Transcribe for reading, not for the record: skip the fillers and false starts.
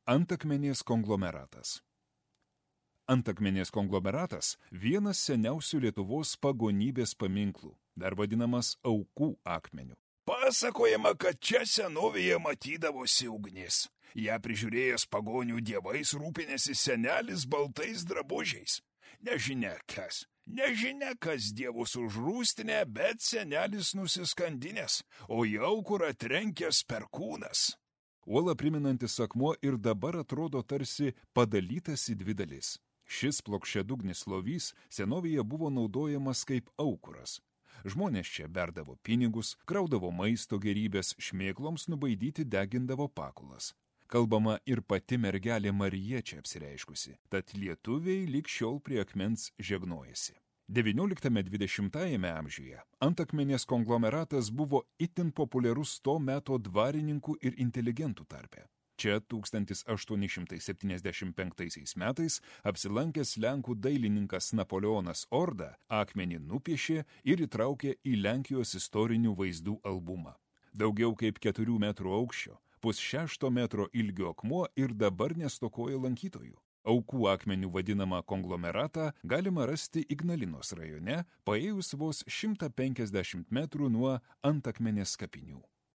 Antakmenės konglomeratas. Antakmenės konglomeratas – vienas seniausių Lietuvos pagonybės paminklų, dar vadinamas Aukų akmeniu. Pasakojama, kad čia senovėje matydavosi ugnis. Ją prižiūrėjęs pagonių dievais rūpinėsi senelis baltais drabužiais. Nežinia kas dievus užrūstinė, bet senelis nusiskandinęs, o į aukurą trenkęs perkūnas. Uolą priminantis akmuo ir dabar atrodo tarsi padalytas į dvi dalis. Šis plokščiadugnis lovys senovėje buvo naudojamas kaip aukuras. Žmonės čia berdavo pinigus, kraudavo maisto gerybės, šmėkloms nubaidyti degindavo pakulas. Kalbama ir pati mergelė Marija čia apsireiškusi, tad lietuviai lig šiol prie akmens žegnojasi. XIX–XX amžiuje Antakmenės konglomeratas buvo itin populiarus to meto dvarininkų ir inteligentų tarpe. Čia 1875 metais apsilankęs lenkų dailininkas Napoleonas Orda akmenį nupiešė ir įtraukė į Lenkijos istorinių vaizdų albumą. Daugiau kaip 4 metrų aukščio, 5–6 metro ilgio akmuo ir dabar nestokoja lankytojų. Aukų akmenių vadinamą konglomeratą galima rasti Ignalinos rajone, paėjus vos 150 metrų nuo Antakmenės kapinių.